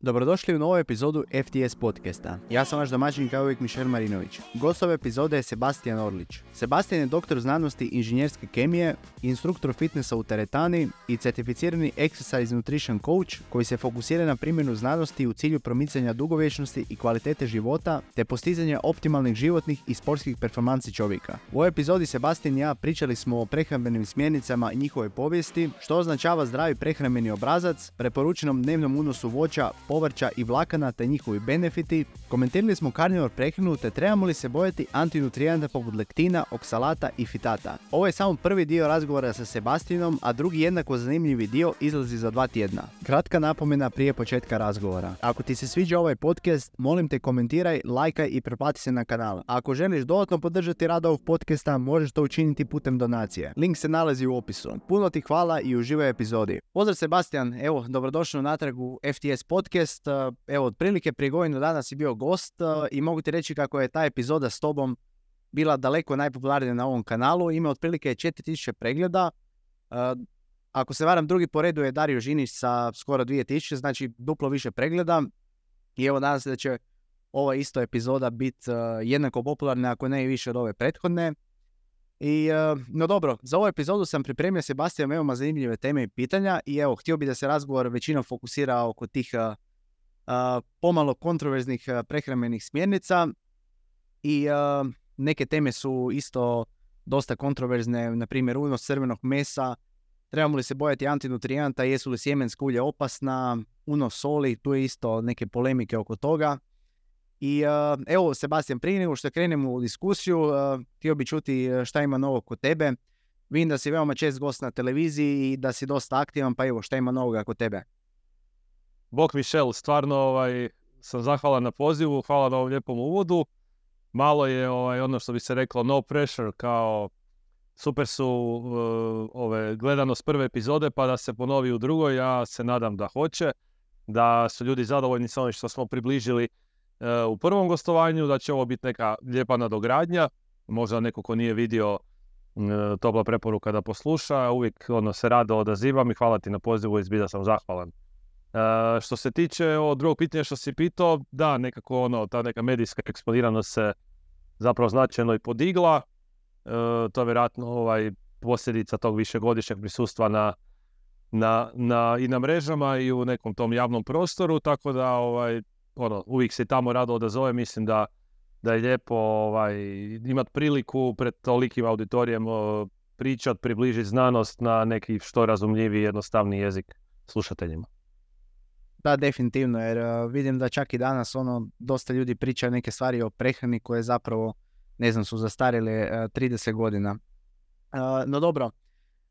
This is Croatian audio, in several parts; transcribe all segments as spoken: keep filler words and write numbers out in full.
Dobrodošli u novu epizodu F T S podcasta. Ja sam vaš domaćin kao uvijek Mišel Marinović. Gost ove epizode je Sebastian Orlić. Sebastian je doktor znanosti inženjerske kemije, instruktor fitnessa u teretani i certificirani exercise nutrition coach koji se fokusira na primjenu znanosti u cilju promicanja dugovječnosti i kvalitete života te postizanja optimalnih životnih i sportskih performansi čovjeka. U ovoj epizodi Sebastian i ja pričali smo o prehrambenim smjernicama i njihovoj povijesti, što označava zdravi prehrambeni obrazac, preporučenom dnevnom unosu voća, povrća i vlakana te njihovi benefiti, komentirali smo karnivor prehranu te trebamo li se bojati antinutrijenata poput lektina, oksalata i fitata. Ovo je samo prvi dio razgovora sa Sebastianom, a drugi jednako zanimljivi dio izlazi za dva tjedna. Kratka napomena prije početka razgovora. Ako ti se sviđa ovaj podcast, molim te komentiraj, lajkaj i pretplati se na kanal. A ako želiš dodatno podržati rad ovog podcasta, možeš to učiniti putem donacije. Link se nalazi u opisu. Puno ti hvala i uživaj epizodi. Pozdrav Sebastian, evo, dobrodošao natrag u F T S podcast. Evo, otprilike prije godinu dana si bio gost i mogu ti reći kako je ta epizoda s tobom bila daleko najpopularnija na ovom kanalu. Ima otprilike četiri tisuće pregleda. Ako se varam, drugi po redu je Dario Žinić sa skoro dvije tisuće, znači duplo više pregleda. I evo, nadam se da će ova isto epizoda biti jednako popularna, ako ne i više od ove prethodne. I, no dobro, za ovu epizodu sam pripremio Sebastian veoma zanimljive teme i pitanja i evo, htio bi da se razgovor većinom fokusira oko tih uh, uh, pomalo kontroverznih uh, prehrambenih smjernica i uh, neke teme su isto dosta kontroverzne, na primjer unos crvenog mesa, trebamo li se bojati antinutrijenata, jesu li sjemenska ulja opasna, unos soli, tu je isto neke polemike oko toga. I uh, evo, Sebastian, prije nego što krenemo u diskusiju, uh, htio bi čuti šta ima novo kod tebe. Vidim da si veoma čest gost na televiziji i da si dosta aktivan, pa evo, šta ima novoga kod tebe? Bog Mišel, stvarno ovaj, sam zahvalan na pozivu, hvala na ovom lijepom uvodu. Malo je ovaj, ono što bi se reklo no pressure, kao super su uh, ove, gledanost prve epizode, pa da se ponovi u drugoj, ja se nadam da hoće, da su ljudi zadovoljni sa onim što smo približili u prvom gostovanju, da će ovo biti neka lijepa nadogradnja, možda neko ko nije vidio, topla preporuka da posluša, uvijek ono, se rado odazivam i hvala ti na pozivu i zbilja sam zahvalan. E, što se tiče ovo drugog pitanja što si pitao, da, nekako ono, ta neka medijska eksponiranost se zapravo značajno i podigla, e, to je vjerojatno ovaj, posljedica tog višegodišnjeg prisustva na, na, na, i na mrežama i u nekom tom javnom prostoru, tako da ovaj, ono, uvijek se tamo rado odazove, mislim da, da je lijepo ovaj, imati priliku pred tolikim auditorijem pričat, približiti znanost na neki što razumljiviji, jednostavni jezik slušateljima. Da, definitivno, jer uh, vidim da čak i danas ono, dosta ljudi pričaju neke stvari o prehrani koje zapravo, ne znam, su zastarjele uh, trideset godina. Uh, no dobro,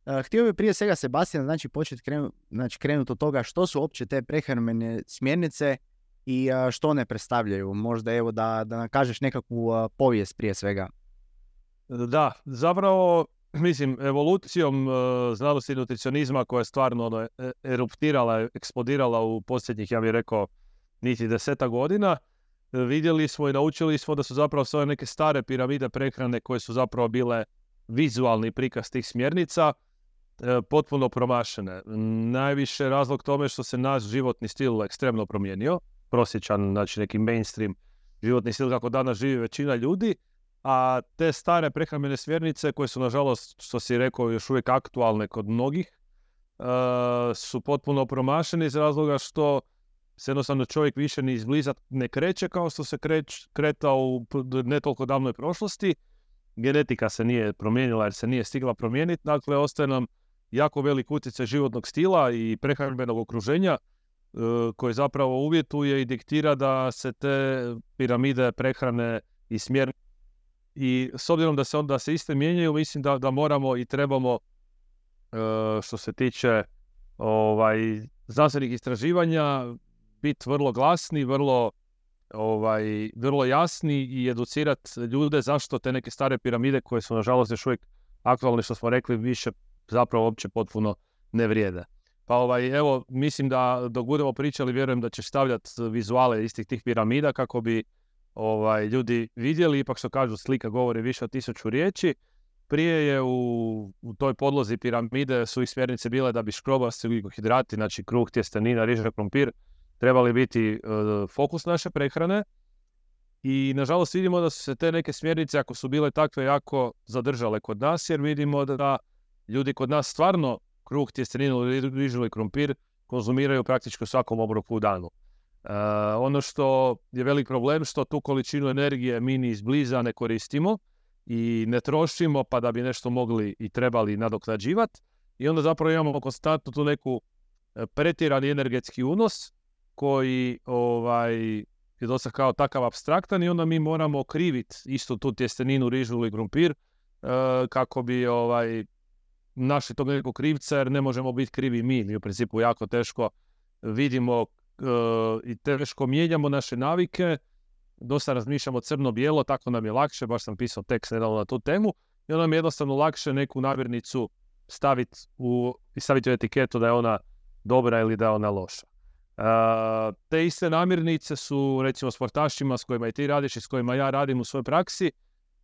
uh, htio bih prije svega, Sebastian, znači početi krenu, znači, krenuti od toga što su uopće te prehrambene smjernice i što one predstavljaju. Možda evo da, da nam kažeš nekakvu uh, povijest prije svega. Da, zapravo, mislim, evolucijom uh, znanosti i nutricionizma koja je stvarno ono, eruptirala, eksplodirala u posljednjih, ja bih rekao, niti deseta godina, vidjeli smo i naučili smo da su zapravo sve neke stare piramide prehrane koje su zapravo bile vizualni prikaz tih smjernica, uh, potpuno promašene. Najviše razlog tome što se naš životni stil ekstremno promijenio, prosječan, znači neki mainstream životni stil kako danas živi većina ljudi, a te stare prehrambene smjernice koje su nažalost, što si rekao, još uvijek aktualne kod mnogih, uh, su potpuno promašene iz razloga što se jednostavno čovjek više ni izbliza ne kreće kao što se kreć, kretao u ne toliko davnoj prošlosti. Genetika se nije promijenila jer se nije stigla promijeniti, dakle ostaje nam jako velik utjecaj životnog stila i prehrambenog okruženja koji zapravo uvjetuje i diktira da se te piramide prehrane i smjer i s obzirom da se onda se iste mijenjaju, mislim da, da moramo i trebamo što se tiče ovaj, znanstvenih istraživanja biti vrlo glasni, vrlo, ovaj, vrlo jasni i educirati ljude zašto te neke stare piramide koje su nažalost još uvijek aktualne, što smo rekli, više zapravo uopće potpuno ne vrijede. Pa ovaj, evo, mislim da dok budemo pričali, vjerujem da će stavljati vizuale istih tih piramida kako bi ovaj, ljudi vidjeli, ipak što kažu slika govori više od tisuću riječi. Prije je u, u toj podlozi piramide su ih smjernice bile da bi škrobasti ugljikohidrati, znači kruh, tjestenina, riža, krompir, trebali biti uh, fokus naše prehrane. I nažalost vidimo da su se te neke smjernice, ako su bile takve, jako zadržale kod nas, jer vidimo da ljudi kod nas stvarno kruh, tjesteninu, rižu ili krumpir konzumiraju praktički u svakom obroku u danu. Uh, ono što je velik problem, što tu količinu energije mi ni izbliza ne koristimo i ne trošimo, pa da bi nešto mogli i trebali nadoknađivati. I onda zapravo imamo konstantno tu neku pretjerani energetski unos koji ovaj, je dosta kao takav apstraktan i onda mi moramo kriviti istu tu tjesteninu, rižu ili krumpir uh, kako bi ovaj, našli tog nekog krivca, jer ne možemo biti krivi mi. Mi u principu jako teško vidimo uh, i teško mijenjamo naše navike. Dosta razmišljamo crno-bijelo, tako nam je lakše, baš sam pisao tekst nedavno na tu temu, i onda nam je jednostavno lakše neku namirnicu staviti u, i staviti u etiketu da je ona dobra ili da je ona loša. Uh, te iste namirnice su, recimo, sportašima s kojima i ti radiš i s kojima ja radim u svojoj praksi,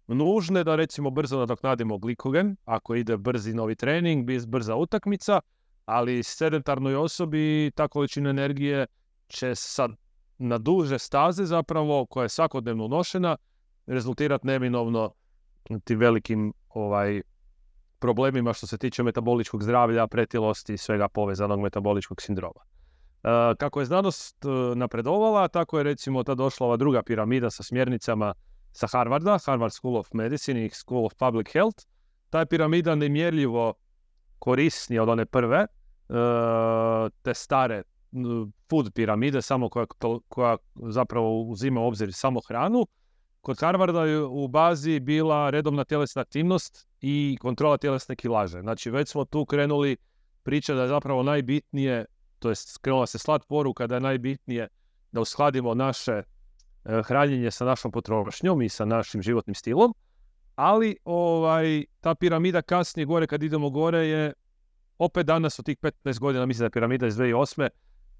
nužne da, recimo, brzo nadoknadimo glikogen, ako ide brzi novi trening, brza utakmica, ali sedentarnoj osobi ta količina energije će sad na duže staze zapravo, koja je svakodnevno unošena, rezultirati neminovno tim velikim ovaj, problemima što se tiče metaboličkog zdravlja, pretilosti i svega povezanog metaboličkog sindroma. E, kako je znanost napredovala, tako je recimo ta došla ova druga piramida sa smjernicama sa Harvarda, Harvard School of Medicine i School of Public Health. Ta je piramida nemjerljivo korisnija od one prve, e, te stare food piramide, samo koja, koja zapravo uzima u obzir samo hranu. Kod Harvarda je u bazi bila redovna tjelesna aktivnost i kontrola tjelesne kilaže. Znači već smo tu krenuli pričati da je zapravo najbitnije, to jest krenula se slat poruka da je najbitnije da uskladimo naše e, hranjenje sa našom potrošnjom i sa našim životnim stilom, ali ovaj, ta piramida kasnije gore, kad idemo gore, je opet danas od tih petnaest godina, mislim da je piramida iz dvije tisuće osme,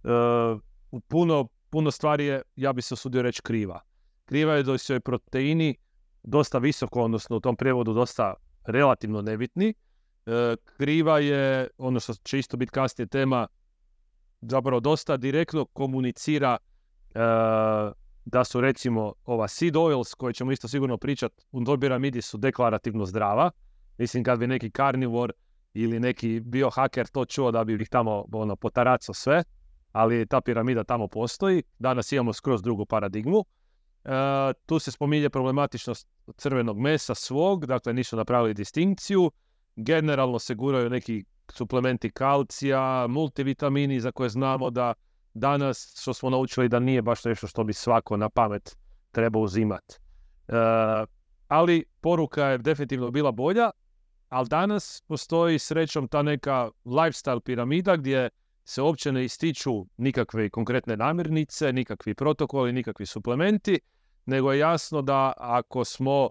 Uh, u puno, puno stvari je, ja bi se usudio reći, kriva. Kriva je da su joj proteini dosta visoko, odnosno u tom prijevodu dosta relativno nebitni. Uh, kriva je, ono što će isto biti kasnije tema, zapravo dosta direktno komunicira uh, da su, recimo, ova seed oils, koje ćemo isto sigurno pričati, u toj piramidi su deklarativno zdrava. Mislim, kad bi neki karnivor ili neki biohaker to čuo, da bi ih tamo ono, potaracao sve, ali ta piramida tamo postoji. Danas imamo skroz drugu paradigmu. E, tu se spominje problematičnost crvenog mesa svog, dakle nisu napravili distinkciju. Generalno se guraju neki suplementi kalcija, multivitamini za koje znamo da danas, što smo naučili, da nije baš nešto što bi svako na pamet trebao uzimati. E, ali poruka je definitivno bila bolja, ali danas postoji srećom ta neka lifestyle piramida gdje se uopće ne ističu nikakve konkretne namirnice, nikakvi protokoli, nikakvi suplementi, nego je jasno da ako smo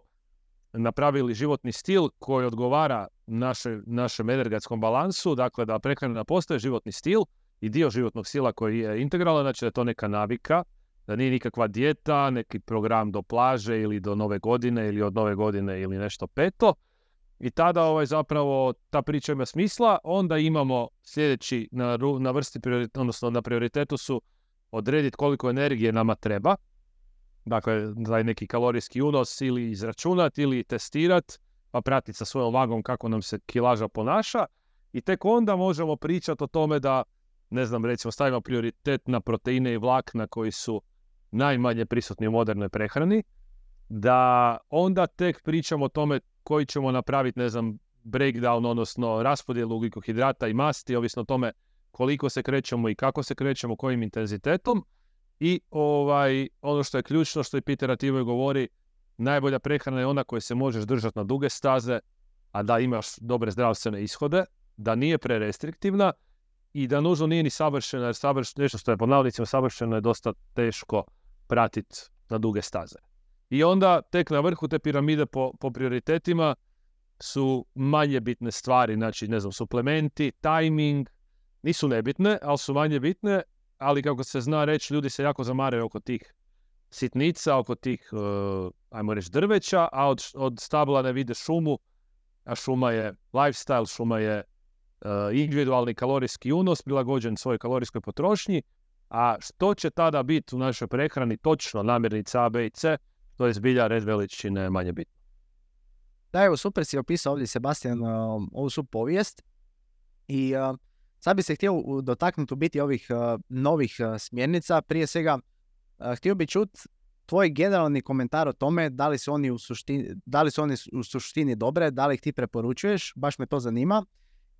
napravili životni stil koji odgovara naše, našem energetskom balansu, dakle da prehrana postaje životni stil i dio životnog stila koji je integralan, znači da je to neka navika, da nije nikakva dijeta, neki program do plaže ili do nove godine ili od nove godine ili nešto peto. I tada ovaj, zapravo ta priča ima smisla. Onda imamo sljedeći na, na vrsti, odnosno na prioritetu su odrediti koliko energije nama treba. Dakle, taj neki kalorijski unos ili izračunati ili testirati, pa pratiti sa svojom vagom kako nam se kilaža ponaša. I tek onda možemo pričati o tome da, ne znam, recimo stavimo prioritet na proteine i vlakna koji su najmanje prisutni u modernoj prehrani. Da onda tek pričamo o tome koji ćemo napraviti, ne znam, breakdown, odnosno raspodjelu ugljikohidrata i masti, ovisno o tome koliko se krećemo i kako se krećemo, kojim intenzitetom. I ovaj, ono što je ključno, što i Peter Attivoj govori, najbolja prehrana je ona koju se možeš držati na duge staze, a da imaš dobre zdravstvene ishode, da nije prerestriktivna i da nužno nije ni savršena, jer savrš, nešto što je po navodnicima savršeno je dosta teško pratiti na duge staze. I onda tek na vrhu te piramide po, po prioritetima su manje bitne stvari, znači, ne znam, suplementi, timing, nisu nebitne, ali su manje bitne, ali kako se zna reći, ljudi se jako zamaraju oko tih sitnica, oko tih, uh, ajmo reći, drveća, a od, od stabla ne vide šumu, a šuma je lifestyle, šuma je uh, individualni kalorijski unos, prilagođen svojoj kalorijskoj potrošnji A što će tada biti u našoj prehrani točno namirnice A, B i C, to je zbilja red veličine manje bitno. Da, evo, super si opisao ovdje, Sebastian, uh, ovu su povijest. I uh, sad bi se htio dotaknuti u biti ovih uh, novih uh, smjernica. Prije svega, uh, htio bi čuti tvoj generalni komentar o tome da li su oni u suštini, da li su oni u suštini dobre, da li ih ti preporučuješ, baš me to zanima.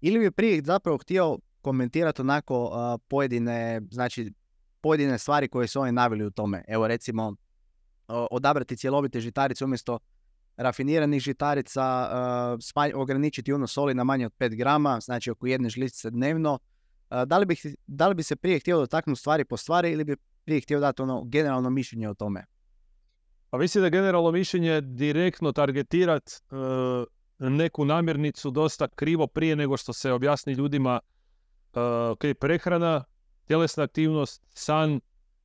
Ili bi prije zapravo htio komentirati onako uh, pojedine, znači, pojedine stvari koje su oni naveli u tome. Evo, recimo, uh, odabrati cjelovite žitarice umjesto rafiniranih žitarica, uh, smanj, ograničiti unos soli na manje od pet grama, znači oko jedne žličice dnevno. Uh, da, li bi, da li bi se prije htio dotaknuti stvari po stvari ili bi prije htio dati ono generalno mišljenje o tome? Pa mislim da generalno mišljenje direktno targetirati uh, neku namirnicu dosta krivo prije nego što se objasni ljudima uh, ok, prehrana, tjelesna aktivnost, san,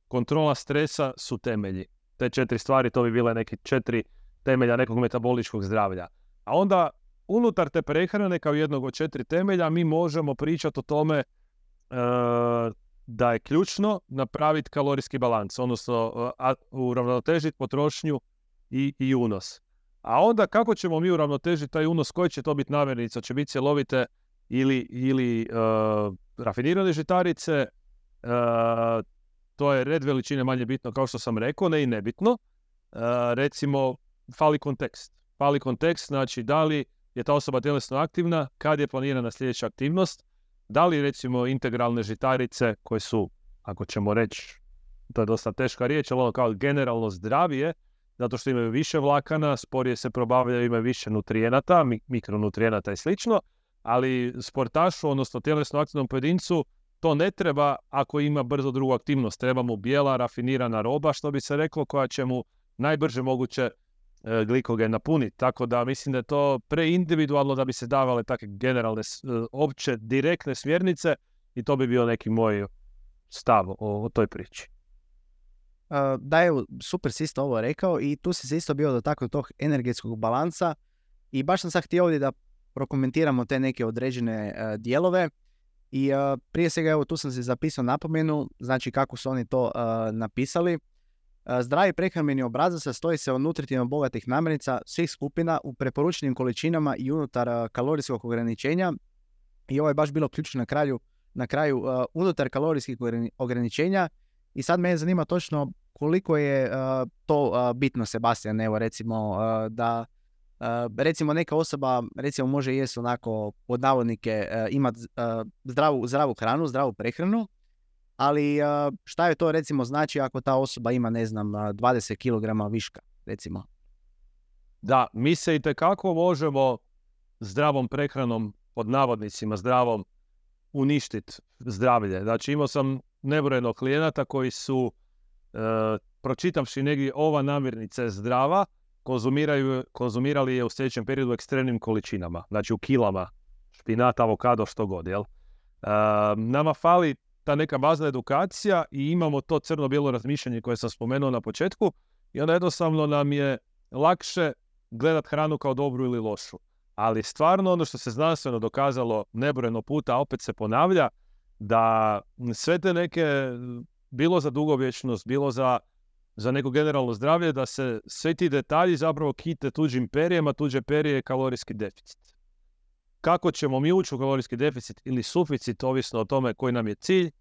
kontrola stresa su temelji. Te četiri stvari, to bi bile neki četiri temelja nekog metaboličkog zdravlja. A onda unutar te prehrane kao jednog od četiri temelja mi možemo pričati o tome e, da je ključno napraviti kalorijski balans, odnosno a, uravnotežiti potrošnju i, i unos. A onda kako ćemo mi uravnotežiti taj unos, koji će to biti namirnica, će biti cjelovite ili, ili e, rafinirane žitarice, e, to je red veličine manje bitno, kao što sam rekao, ne i nebitno. E, recimo, fali kontekst. Fali kontekst, znači da li je ta osoba tjelesno aktivna, kad je planirana sljedeća aktivnost, da li recimo integralne žitarice koje su, ako ćemo reći, to je dosta teška riječ, ali ono kao generalno zdravije, zato što imaju više vlakana, sporije se probavljaju, imaju više nutrijenata, mikronutrijenata i slično, ali sportašu, odnosno tjelesno aktivnom pojedincu, to ne treba ako ima brzo drugu aktivnost. Treba mu bijela, rafinirana roba, što bi se reklo, koja će mu najbrže moguće e, glikogen napuniti. Tako da mislim da je to preindividualno da bi se davale takve generalne, e, opće, direktne smjernice i to bi bio neki moj stav o, o toj priči. Uh, da, evo, super si isto ovo rekao i tu si se isto bio dotaknuo tog energetskog balansa i baš sam sad htio ovdje da prokomentiramo te neke određene uh, dijelove. I uh, prije svega, evo, tu sam se zapisao napomenu, znači kako su oni to uh, napisali. Uh, zdravi prehrambeni obrazac sastoji se od nutritivno bogatih namirnica svih skupina u preporučenim količinama i unutar uh, kalorijskog ograničenja. I ovo je baš bilo ključno na kraju, na kraju uh, unutar kalorijskih ograničenja. I sad me zanima točno koliko je uh, to uh, bitno, Sebastian, evo recimo uh, da Uh, recimo neka osoba recimo može jesti onako pod navodnike uh, imati uh, zdravu, zdravu hranu, zdravu prehranu, ali uh, šta je to recimo znači ako ta osoba ima ne znam dvadeset kilograma viška recimo? Da, mi se itekako možemo zdravom prehranom, pod navodnicima zdravom, uništiti zdravlje. Znači imao sam nebrojeno klijenata koji su uh, pročitavši negdje ova namirnica je zdrava, konzumiraju, konzumirali je u sljedećem periodu u ekstremnim količinama, znači u kilama, špinat, avokado, što god, jel? E, nama fali ta neka bazna edukacija i imamo to crno-bijelo razmišljanje koje sam spomenuo na početku i onda jednostavno nam je lakše gledat hranu kao dobru ili lošu. Ali stvarno ono što se znanstveno dokazalo nebrojeno puta, opet se ponavlja, da sve te neke, bilo za dugovječnost, bilo za za neko generalno zdravlje, da se sve ti detalji zapravo kite tuđim perijem, a tuđe perije je kalorijski deficit. Kako ćemo mi ući u kalorijski deficit ili suficit, ovisno o tome koji nam je cilj,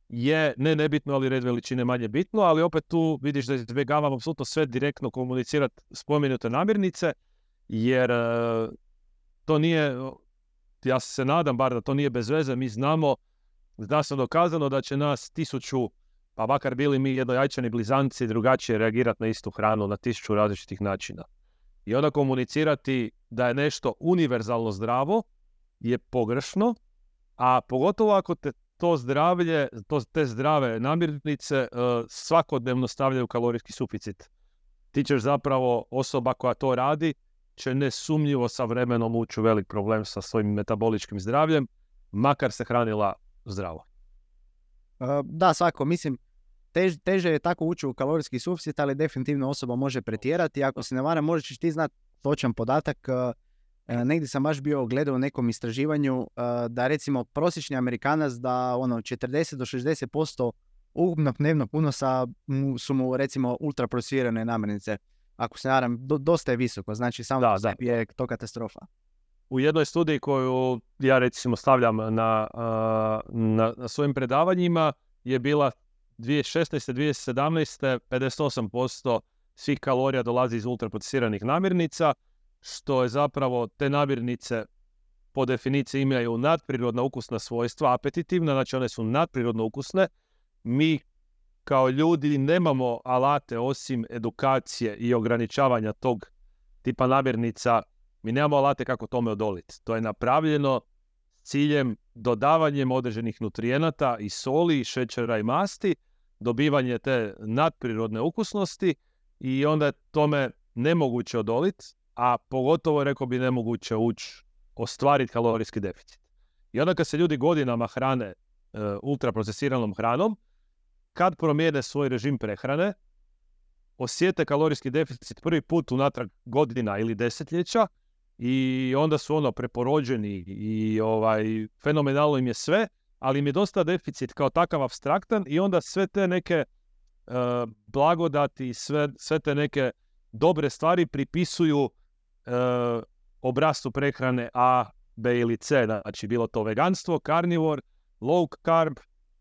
je ne nebitno, ali red veličine manje bitno, ali opet tu vidiš da izbjegavam apsolutno sve direktno komunicirati spomenute namirnice, jer uh, to nije, ja se nadam bar da to nije bez veze, mi znamo, zna se dokazano da će nas tisuću, pa makar bili mi jednojajčani blizanci, drugačije reagirati na istu hranu na tisuću različitih načina. I onda komunicirati da je nešto univerzalno zdravo je pogrešno, a pogotovo ako te to zdravlje, to, te zdrave namirnice uh, svakodnevno stavljaju u kalorijski suficit. Ti ćeš zapravo, osoba koja to radi, će nesumnjivo sa vremenom ući u velik problem sa svojim metaboličkim zdravljem, makar se hranila zdravo. Uh, da, svako, mislim, tež, teže je tako ući u kalorijski suficit, ali definitivno osoba može pretjerati. Ako se ne varam, možeš ti znati točan podatak. Uh, uh, negdje sam baš bio gledao u nekom istraživanju uh, da recimo prosječni Amerikanac da ono četrdeset do šezdeset posto ukupnog dnevnog unosa mu, su mu recimo ultraprocesirane namirnice. Ako se naram, do, dosta je visoko, znači samo Da, po sebi je to katastrofa. U jednoj studiji koju ja recimo stavljam na, na, na svojim predavanjima je bila dvije tisuće šesnaeste. dvije tisuće sedamnaeste. pedeset osam posto svih kalorija dolazi iz ultraprocesiranih namirnica, što je zapravo te namirnice po definiciji imaju nadprirodna ukusna svojstva, apetitivna, znači one su nadprirodno ukusne. Mi kao ljudi nemamo alate osim edukacije i ograničavanja tog tipa namirnica. Mi nemamo alate kako tome odoliti. To je napravljeno s ciljem dodavanjem određenih nutrijenata i soli, i šećera i masti, dobivanje te nadprirodne ukusnosti i onda je tome nemoguće odoliti, a pogotovo, rekao bi, nemoguće ući ostvariti kalorijski deficit. I onda kad se ljudi godinama hrane e, ultraprocesiranom hranom, kad promijene svoj režim prehrane, osjete kalorijski deficit prvi put unatrag godina ili desetljeća i onda su ono preporođeni i ovaj, fenomenalno im je sve, ali im je dosta deficit kao takav apstraktan i onda sve te neke uh, blagodati, sve, sve te neke dobre stvari pripisuju uh, obrascu prehrane A, B ili C, znači bilo to veganstvo, carnivore, low carb,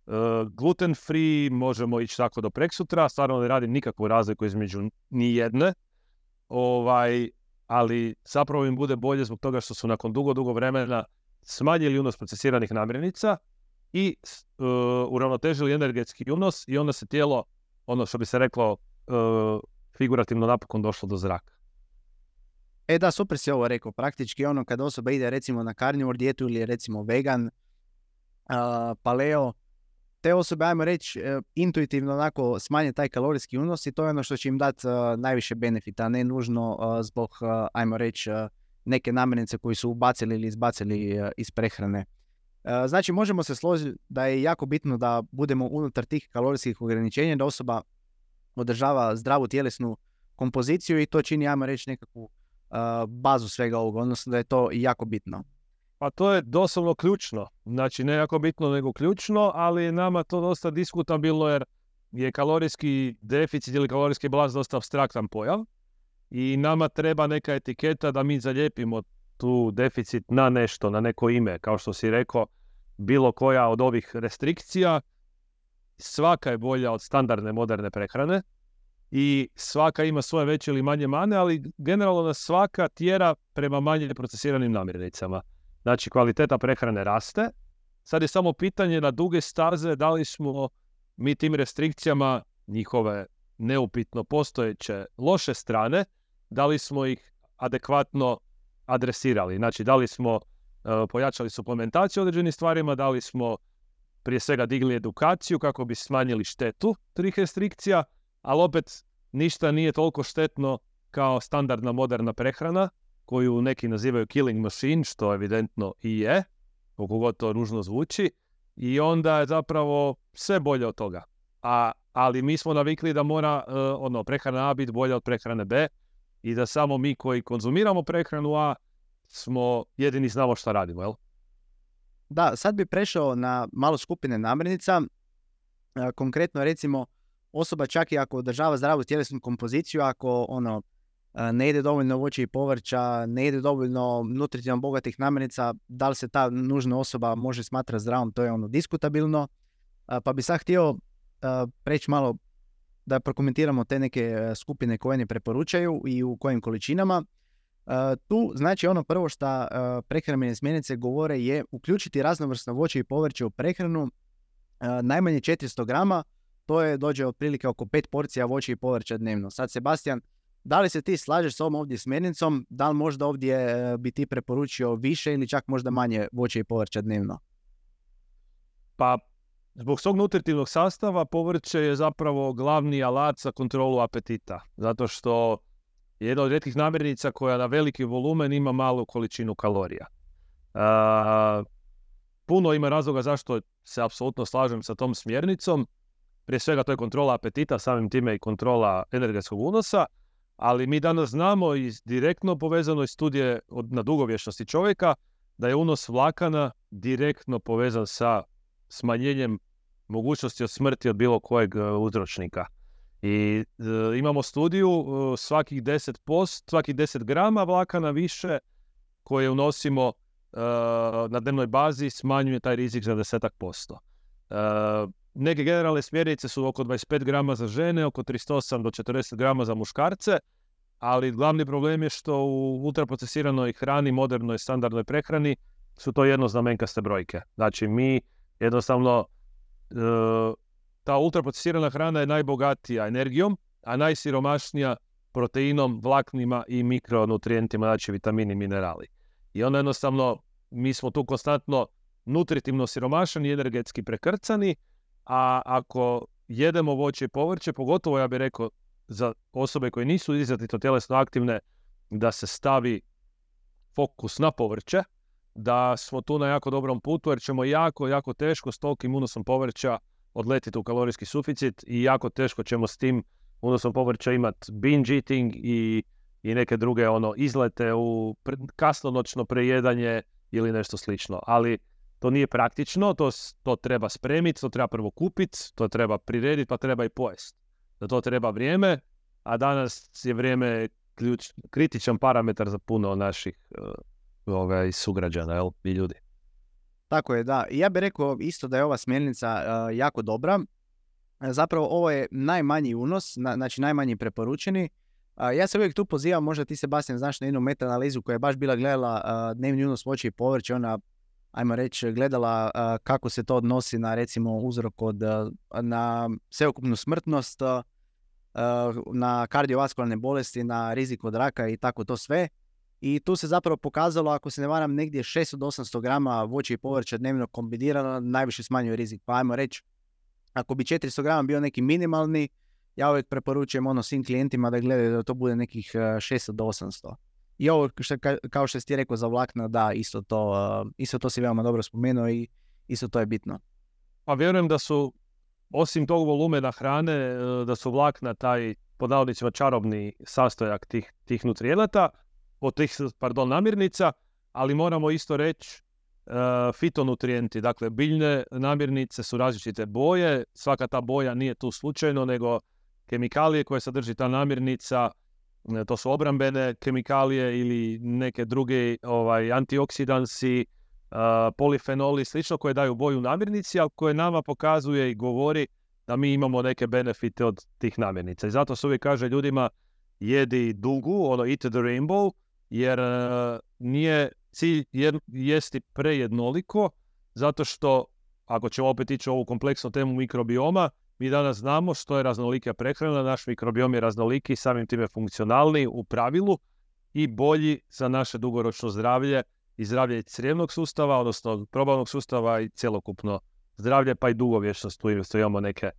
uh, gluten free, možemo ići tako do preksutra, stvarno ne radim nikakvu razliku između nijedne, ovaj, ali zapravo im bude bolje zbog toga što su nakon dugo, dugo vremena smanjili unos procesiranih namirnica i uh, uravnotežili energetski unos i onda se tijelo, ono što bi se reklo, uh, figurativno napokon došlo do zraka. E da, super si ovo rekao. Praktički ono kada osoba ide recimo na carnivore dijetu ili recimo vegan, uh, paleo, te osobe, ajmo reći, uh, intuitivno onako smanje taj kalorijski unos i to je ono što će im dati uh, najviše benefita, ne nužno uh, zbog, uh, ajmo reći, uh, neke namirnice koji su ubacili ili izbacili uh, iz prehrane. Uh, znači, možemo se složiti da je jako bitno da budemo unutar tih kalorijskih ograničenja, da osoba održava zdravu tjelesnu kompoziciju i to čini, ajmo reći, nekakvu uh, bazu svega ovoga, odnosno da je to jako bitno. Pa to je doslovno ključno, znači ne jako bitno nego ključno, ali je nama to dosta diskutabilno jer je kalorijski deficit ili kalorijski balans dosta apstraktan pojam i nama treba neka etiketa da mi zalijepimo tu deficit na nešto, na neko ime, kao što si rekao, bilo koja od ovih restrikcija, svaka je bolja od standardne moderne prehrane i svaka ima svoje veće ili manje mane, ali generalno nas svaka tjera prema manje procesiranim namirnicama. Znači, kvaliteta prehrane raste. Sad je samo pitanje na duge staze da li smo mi tim restrikcijama, njihove neupitno postojeće loše strane, da li smo ih adekvatno adresirali. Znači, da li smo uh, pojačali suplementaciju određenim stvarima, da li smo prije svega digli edukaciju kako bi smanjili štetu tih restrikcija, ali opet ništa nije toliko štetno kao standardna moderna prehrana, koju neki nazivaju killing machine, što evidentno i je, koliko god to ružno zvuči, i onda je zapravo sve bolje od toga. A, ali mi smo navikli da mora uh, ono, prehrana A biti bolja od prehrane B i da samo mi koji konzumiramo prehranu A smo jedini znamo šta radimo, jel? Da, sad bi prešao na malo skupine namirnica. E, konkretno recimo osoba čak i ako održava zdravu tjelesnu kompoziciju, ako ono ne ide dovoljno voća i povrća, ne ide dovoljno nutritivno bogatih namirnica, da li se ta nužna osoba može smatrati zdravom, to je ono diskutabilno. Pa bi sad htio preći malo da prokomentiramo te neke skupine koje ne preporučaju i u kojim količinama. Tu znači ono prvo što prehrambene smjernice govore je uključiti raznovrsno voće i povrće u prehranu najmanje četiristo grama, to je dođe otprilike oko pet porcija voća i povrća dnevno. Sad, Sebastian, da li se ti slažeš s ovom ovdje smjernicom? Da li možda ovdje bi ti preporučio više ili čak možda manje voća i povrća dnevno? Pa, zbog svog nutritivnog sastava povrće je zapravo glavni alat za kontrolu apetita. Zato što je jedna od rijetkih namirnica koja na veliki volumen ima malu količinu kalorija. A, puno ima razloga zašto se apsolutno slažem sa tom smjernicom. Prije svega to je kontrola apetita, samim time i kontrola energetskog unosa. Ali mi danas znamo iz direktno povezanoj studije na dugovječnosti čovjeka da je unos vlakana direktno povezan sa smanjenjem mogućnosti od smrti od bilo kojeg uzročnika. I e, imamo studiju e, svakih deset posto, svakih deset grama vlakana više koje unosimo e, na dnevnoj bazi smanjuje taj rizik za desetak posto. E, neke generalne smjernice su oko dvadeset pet grama za žene, oko trideset osam do četrdeset grama za muškarce, ali glavni problem je što u ultraprocesiranoj hrani, modernoj standardnoj prehrani su to jednoznamenkaste brojke. Znači mi jednostavno e, ta ultraprocesirana hrana je najbogatija energijom, a najsiromašnija proteinom, vlaknima i mikronutrijentima, znači vitamini i minerali. I onda jednostavno, mi smo tu konstantno nutritivno siromašani i energetski prekrcani, a ako jedemo voće i povrće, pogotovo ja bih rekao za osobe koje nisu izrazito tjelesno aktivne, da se stavi fokus na povrće, da smo tu na jako dobrom putu, jer ćemo jako, jako teško s tolikim unosom povrća odletiti u kalorijski suficit i jako teško ćemo s tim unosom povrća imati binge eating i, i neke druge ono izlete u pre, kasnonoćno prejedanje ili nešto slično. Ali to nije praktično, to, to treba spremiti, to treba prvo kupiti, to treba prirediti, pa treba i pojesti. Za to treba vrijeme, a danas je vrijeme ključ, kritičan parametar za puno naših uh, ovaj, sugrađana, jel, i ljudi. Tako je, da. Ja bih rekao isto da je ova smjernica uh, jako dobra. Zapravo ovo je najmanji unos, na, znači najmanji preporučeni. Uh, ja se uvijek tu pozivam, možda ti Sebastian znaš na jednu meta-analizu koja je baš bila gledala uh, dnevni unos voća i povrća, ona, ajmo reći, gledala uh, kako se to odnosi na recimo uzrok od, uh, na sveukupnu smrtnost, uh, na kardiovaskularne bolesti, na rizik od raka i tako to sve. I tu se zapravo pokazalo, ako se ne varam, negdje šesto do osamsto grama voća i povrća dnevno kombinirano najviše smanjuje rizik. Pa ajmo reći, ako bi četiristo grama bio neki minimalni, ja uvijek preporučujem ono svim klijentima da gledaju da to bude nekih šesto do osamsto. I ovo, što, kao što si ti rekao za vlakna, da, isto to, isto to si veoma dobro spomenuo i isto to je bitno. Pa vjerujem da su, osim tog volumena hrane, da su vlakna taj, pod navodnicima, čarobni sastojak tih, tih nutrijenata, od tih, pardon, namirnica, ali moramo isto reći uh, fitonutrijenti. Dakle, biljne namirnice su različite boje, svaka ta boja nije tu slučajno, nego kemikalije koje sadrži ta namirnica, to su obrambene kemikalije ili neke druge ovaj, antioksidansi, uh, polifenoli, slično, koje daju boju namirnici, ali koje nama pokazuje i govori da mi imamo neke benefite od tih namirnica. I zato se uvijek kaže ljudima jedi dugu, ono eat the rainbow, jer uh, nije cilj jer, jesti prejednoliko, zato što, ako ćemo opet ići u ovu kompleksnu temu mikrobioma, mi danas znamo što je raznolika prehrana, naš mikrobiom je raznoliki, samim time funkcionalni u pravilu i bolji za naše dugoročno zdravlje i zdravlje crijevnog sustava, odnosno probavnog sustava i cjelokupno zdravlje, pa i dugovječnost, tu imamo neke,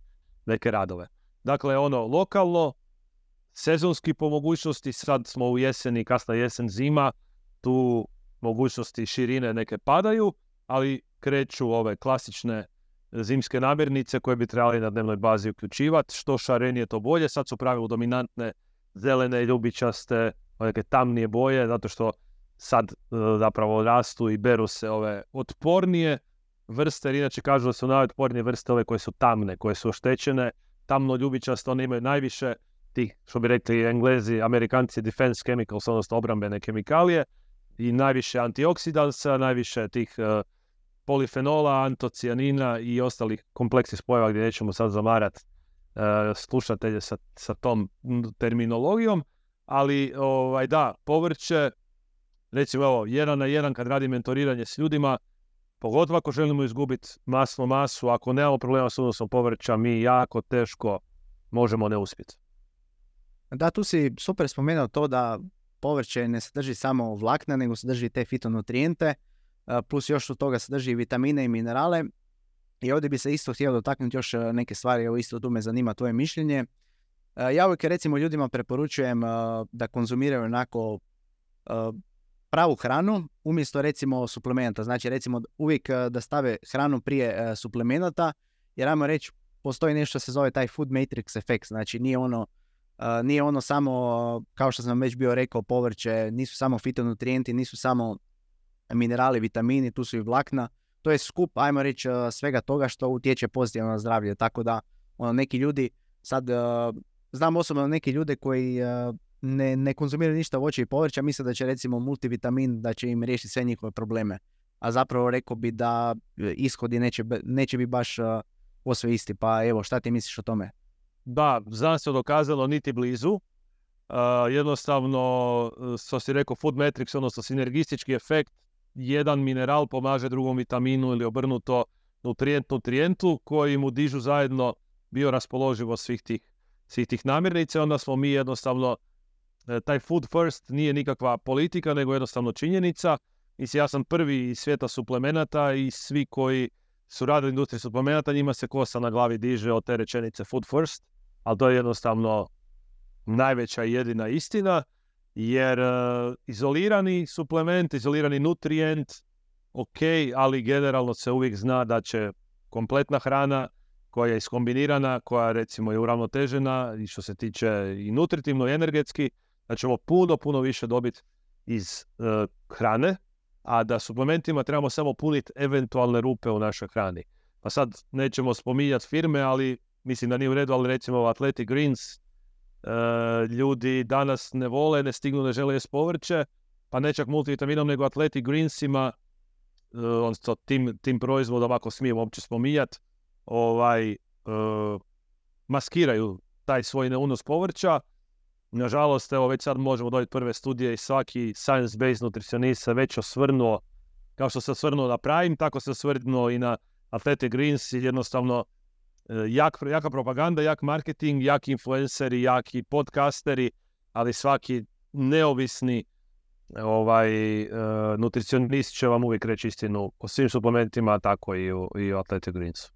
neke radove. Dakle, ono lokalno, sezonski po mogućnosti, sad smo u jeseni, kasna jesen, zima, tu mogućnosti širine neke padaju, ali kreću ove klasične zimske namirnice koje bi trebali na dnevnoj bazi uključivati. Što šarenije to bolje, sad su u pravilu dominantne zelene, ljubičaste, neke tamnije boje, zato što sad zapravo rastu i beru se ove otpornije vrste, jer inače kažu da su najotpornije vrste ove koje su tamne, koje su oštećene, tamno ljubičaste, one imaju najviše tih, što bi rekli Englezi, Amerikanci, defense chemicals, odnosno obrambene kemikalije i najviše antioksidansa, najviše tih uh, polifenola, antocijanina i ostalih kompleksnih spojeva gdje nećemo sad zamarati uh, slušatelje sa, sa tom terminologijom, ali ovaj, da, povrće, recimo evo, jedan na jedan kad radim mentoriranje s ljudima, pogotovo ako želimo izgubiti masnu masu, ako nemamo problema s unosom povrća, mi jako teško možemo ne uspjeti. Da, tu si super spomenuo to da povrće ne sadrži samo vlakna, nego sadrži te fitonutrijente, plus još od toga sadrži vitamine i minerale. I ovdje bi se isto htio dotaknuti još neke stvari, evo isto tu me zanima tvoje mišljenje. Ja uvijek recimo ljudima preporučujem da konzumiraju onako pravu hranu umjesto recimo suplementa. Znači recimo uvijek da stave hranu prije suplemenata, jer ajmo reći postoji nešto što se zove taj food matrix efekt. Znači nije ono Uh, nije ono samo, kao što sam već bio rekao, povrće, nisu samo fitonutrijenti, nisu samo minerali, vitamini, tu su i vlakna. to je skup, ajmo reći, uh, svega toga što utječe pozitivno na zdravlje. Tako da ono, neki ljudi, sad uh, znam osobno neki ljude koji uh, ne, ne konzumiraju ništa voća i povrća, misle da će recimo multivitamin da će im riješiti sve njihove probleme. A zapravo rekao bi da ishodi neće, neće biti baš uh, posve isti. Pa evo, šta ti misliš o tome? Da, znanstveno dokazano niti blizu. Uh, jednostavno, što si rekao, food matrix, odnosno sinergistički efekt, jedan mineral pomaže drugom vitaminu ili obrnuto nutrijent nutrijentu koji mu dižu zajedno bioraspoloživost svih tih, svih tih namirnica. Onda smo mi jednostavno, taj food first nije nikakva politika, nego jednostavno činjenica. Mislim, ja sam prvi iz svijeta suplemenata i svi koji su radili industriju suplemenata, njima se kosa na glavi diže od te rečenice food first, ali to je jednostavno najveća i jedina istina, jer uh, izolirani suplement, izolirani nutrijent, ok, ali generalno se uvijek zna da će kompletna hrana koja je iskombinirana, koja recimo je uravnotežena i što se tiče i nutritivno i energetski, da ćemo puno, puno više dobiti iz uh, hrane, a da suplementima trebamo samo puniti eventualne rupe u našoj hrani. Pa sad nećemo spominjati firme, ali mislim da nije u redu, ali recimo Athletic Greens, Uh, ljudi danas ne vole, ne stignu, ne žele jesti povrće, pa ne čak multivitaminom, nego Athletic Greensima, uh, odnosno tim, tim proizvodom, ako smijem uopće spominjati, ovaj, uh, maskiraju taj svoj neunos povrća. Nažalost, evo već sad možemo dobiti prve studije i svaki science-based nutricionist se već osvrnuo, kao što se osvrnuo na Prime, tako se osvrnuo i na Athletic Greens i jednostavno Jak, jaka propaganda, jak marketing, jaki influenceri, jaki podcasteri, ali svaki neovisni ovaj, uh, nutricionist će vam uvijek reći istinu o svim suplementima, tako i o, i o Athletic Greensu.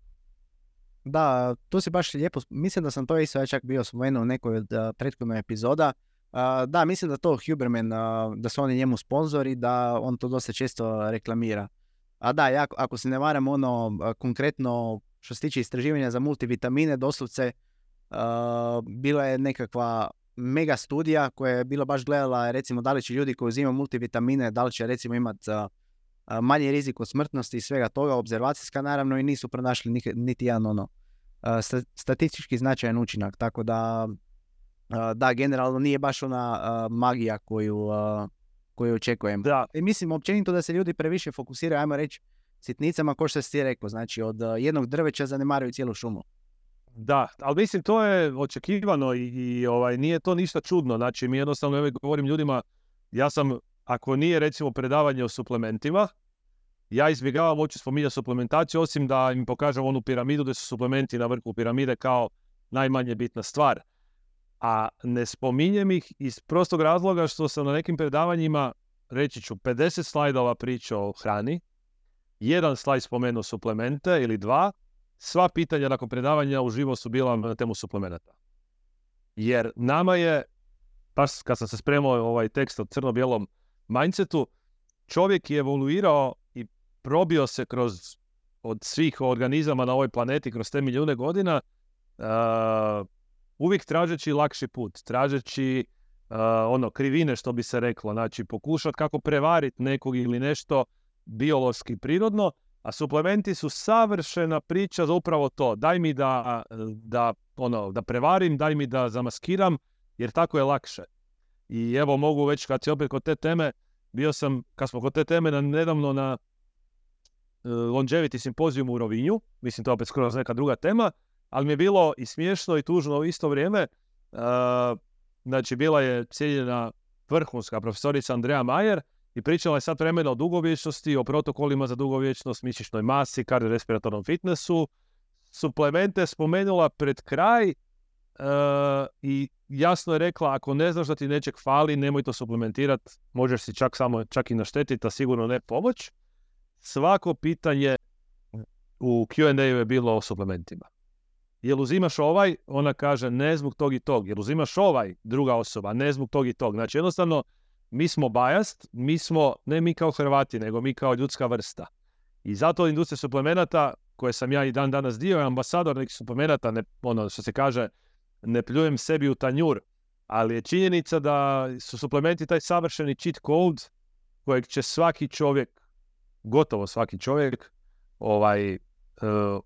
Da, tu si baš lijepo, mislim da sam to isto čak bio spomenuo u nekoj od uh, prethodnog epizoda. Uh, da, mislim da to Huberman, uh, da su oni njemu sponzori, da on to dosta često reklamira. A da, ja, ako se ne varam, ono, uh, konkretno što se tiče istraživanja za multivitamine, doslovce uh, bila je nekakva mega studija koja je bila baš gledala recimo da li će ljudi koji uzimaju multivitamine, da li će recimo imati uh, manji rizik od smrtnosti i svega toga, obzervacijska naravno, i nisu pronašli niti, niti jedan ono uh, statistički značajan učinak, tako da uh, da, generalno nije baš ona uh, magija koju, uh, koju očekujem. Da. I mislim općenito da se ljudi previše fokusiraju, ajmo reći, sitnicama, ko što si ti rekao, znači od uh, jednog drveća zanemaruju cijelu šumu. Da, ali mislim to je očekivano i, i ovaj, nije to ništa čudno, znači mi jednostavno evo, govorim ljudima, ja sam, ako nije recimo predavanje o suplementima, ja izbjegavam uopće spominjati suplementaciju, osim da im pokažem onu piramidu gdje su suplementi na vrhu piramide kao najmanje bitna stvar. A ne spominjem ih iz prostog razloga što sam na nekim predavanjima, reći ću, pedeset slajdova pričao o hrani, jedan slajd spomenuo suplemente ili dva, sva pitanja nakon predavanja uživo su bila na temu suplemenata. Jer nama je, baš kad sam se spremao ovaj tekst o crno-bijelom mindsetu, čovjek je evoluirao i probio se kroz od svih organizama na ovoj planeti, kroz te milijune godina, uh, uvijek tražeći lakši put, tražeći uh, ono, krivine, što bi se reklo, znači pokušati kako prevariti nekog ili nešto biološki prirodno, a suplementi su savršena priča za upravo to. Daj mi da, da, ono, da prevarim, daj mi da zamaskiram, jer tako je lakše. I evo mogu već, kad si opet kod te teme, bio sam, kad smo kod te teme, na, nedavno na uh, Longevity simpozijumu u Rovinju, mislim to je opet skoro neka druga tema, ali mi je bilo i smiješno i tužno u isto vrijeme. Uh, znači, bila je cijeljena vrhunska profesorica Andrea Majer, i pričala je sad vremena o dugovječnosti, o protokolima za dugovječnost, mišićnoj masi, kardiorespiratornom fitnessu. Suplemente spomenula pred kraj uh, i jasno je rekla, ako ne znaš da ti nečeg fali, nemoj to suplementirati, možeš si čak samo čak i naštetiti, a sigurno ne pomoć. Svako pitanje u Q and A-u je bilo o suplementima. Jel uzimaš ovaj? Ona kaže ne zbog tog i tog. Jel uzimaš ovaj? Druga osoba, ne zbog tog i tog. Znači jednostavno, mi smo biased, mi smo, ne mi kao Hrvati, nego mi kao ljudska vrsta. I zato industrija suplemenata, koje sam ja i dan danas dio, je ambasador nekih suplemenata, ne, ono što se kaže, ne pljujem sebi u tanjur, ali je činjenica da su suplementi taj savršeni cheat code kojeg će svaki čovjek, gotovo svaki čovjek, ovaj, uh,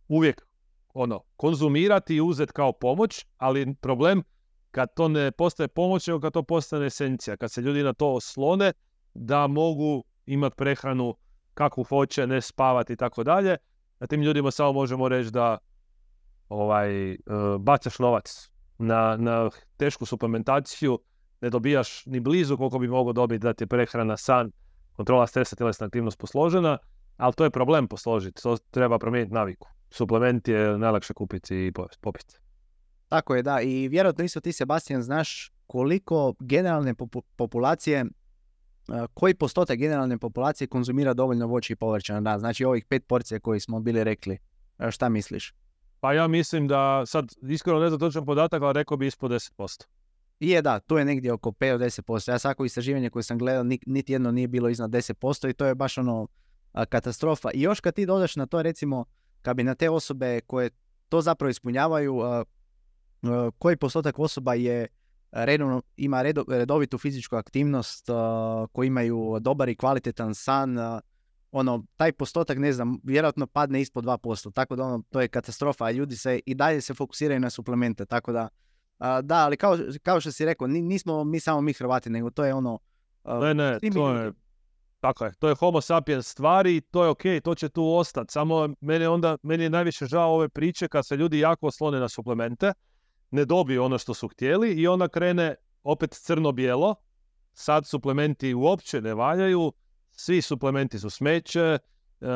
uvijek ono, konzumirati i uzeti kao pomoć, ali problem kad to ne postaje pomoć, nego kad to postane esencija, kad se ljudi na to oslone da mogu imati prehranu kakvu hoće, ne spavati i tako dalje, a tim ljudima samo možemo reći da ovaj, uh, bacaš novac na, na tešku suplementaciju, ne dobijaš ni blizu koliko bi mogao dobiti da ti je prehrana, san, kontrola stresa, tjelesna aktivnost posložena, ali to je problem posložiti, to treba promijeniti naviku. Suplement je najlakše kupiti i popiti. Tako je, da. I vjerojatno isto ti, Sebastian, znaš koliko generalne popu- populacije, uh, koji postotak generalne populacije konzumira dovoljno voća i povrća na dan. Znači ovih pet porcija koji smo bili rekli. Uh, šta misliš? Pa ja mislim da, sad iskreno ne znam točan podatak, ali rekao bi ispod deset posto. I je, da, tu je negdje oko pet do deset posto. Ja svako istraživanje koje sam gledao, niti jedno nije bilo iznad deset posto i to je baš ono a, katastrofa. I još kad ti dodaš na to, recimo, kad bi na te osobe koje to zapravo ispunjavaju, a, a, koji postotak osoba je redovno, ima redo, redovitu fizičku aktivnost, a, koji imaju dobar i kvalitetan san, a, ono, taj postotak, ne znam, vjerojatno padne ispod dva posto. Tako da ono, to je katastrofa, a ljudi se i dalje se fokusiraju na suplemente, tako da Uh, da, ali kao, kao što si rekao, nismo mi samo mi Hrvati, nego to je ono... Uh, ne, ne, to je, tako je, to je homo sapiens stvari, to je okej, okay, to će tu ostati. Samo meni, onda, meni je najviše žao ove priče kad se ljudi jako oslone na suplemente, ne dobiju ono što su htjeli i onda krene opet crno-bijelo, sad suplementi uopće ne valjaju, svi suplementi su smeće, uh,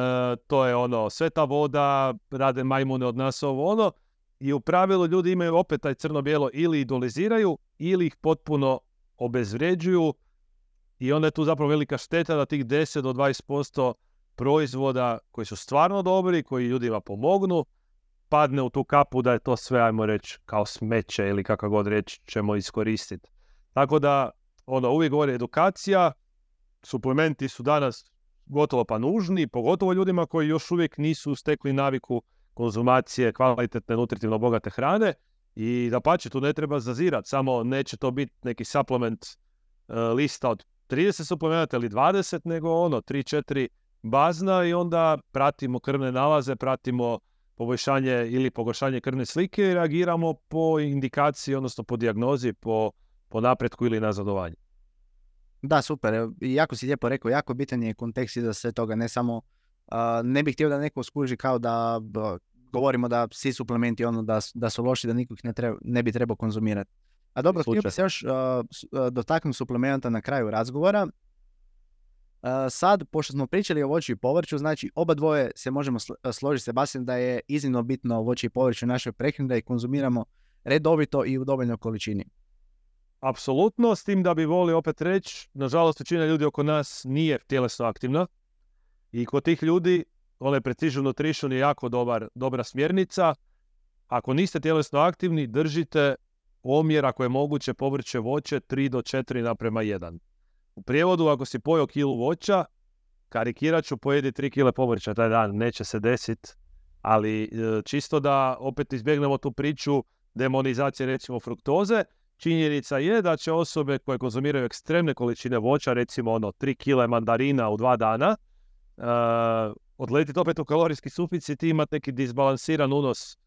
to je ono, sveta voda, rade majmune od nas ovo ono, i u pravilu ljudi imaju opet taj crno-bijelo ili idoliziraju ili ih potpuno obezvređuju i onda je tu zapravo velika šteta da tih deset do dvadeset posto proizvoda koji su stvarno dobri, koji ljudima pomognu, padne u tu kapu da je to sve, ajmo reći, kao smeće ili kako god reći ćemo iskoristiti. Tako da, ono, uvijek govori edukacija, suplementi su danas gotovo pa nužni, pogotovo ljudima koji još uvijek nisu stekli naviku konzumacije kvalitetne, nutritivno bogate hrane i dapače, tu ne treba zazirati, samo neće to biti neki suplement uh, lista od trideset suplementa ili dvadeset, nego ono, tri četiri bazna i onda pratimo krvne nalaze, pratimo poboljšanje ili pogoršanje krvne slike i reagiramo po indikaciji, odnosno po dijagnozi, po, po napretku ili nazadovanju. Da, super. Jako si lijepo rekao, jako bitan je kontekst iza sve toga, ne samo Uh, ne bih htio da neko skuži kao da uh, govorimo da svi suplementi ono da, da su loši, da nikog ne, treba, ne bi trebao konzumirati. A dobro, htio bih se još uh, dotaknuti suplementa na kraju razgovora. Uh, sad, pošto smo pričali o voću i povrću, znači oba dvoje se možemo sl- složiti, Sebastian, da je iznimno bitno voće i povrće u našoj prehrani, da ih konzumiramo redovito i u dovoljnoj količini. Apsolutno, s tim da bi volio opet reći, nažalost većina ljudi oko nas nije tjelesno aktivna. I kod tih ljudi, onaj Precision Nutrition je jako dobar, dobra smjernica. Ako niste tjelesno aktivni, držite omjer, ako je moguće, povrće voće tri do četiri naprema jedan. U prijevodu, ako si pojeo kilu voća, karikirat ću, pojedi tri kile povrća taj dan, neće se desiti. Ali čisto da opet izbjegnemo tu priču demonizacije, recimo, fruktoze, činjenica je da će osobe koje konzumiraju ekstremne količine voća, recimo ono tri kile mandarina u dva dana, Uh, odletiti opet u kalorijski suficit i imati neki disbalansiran unos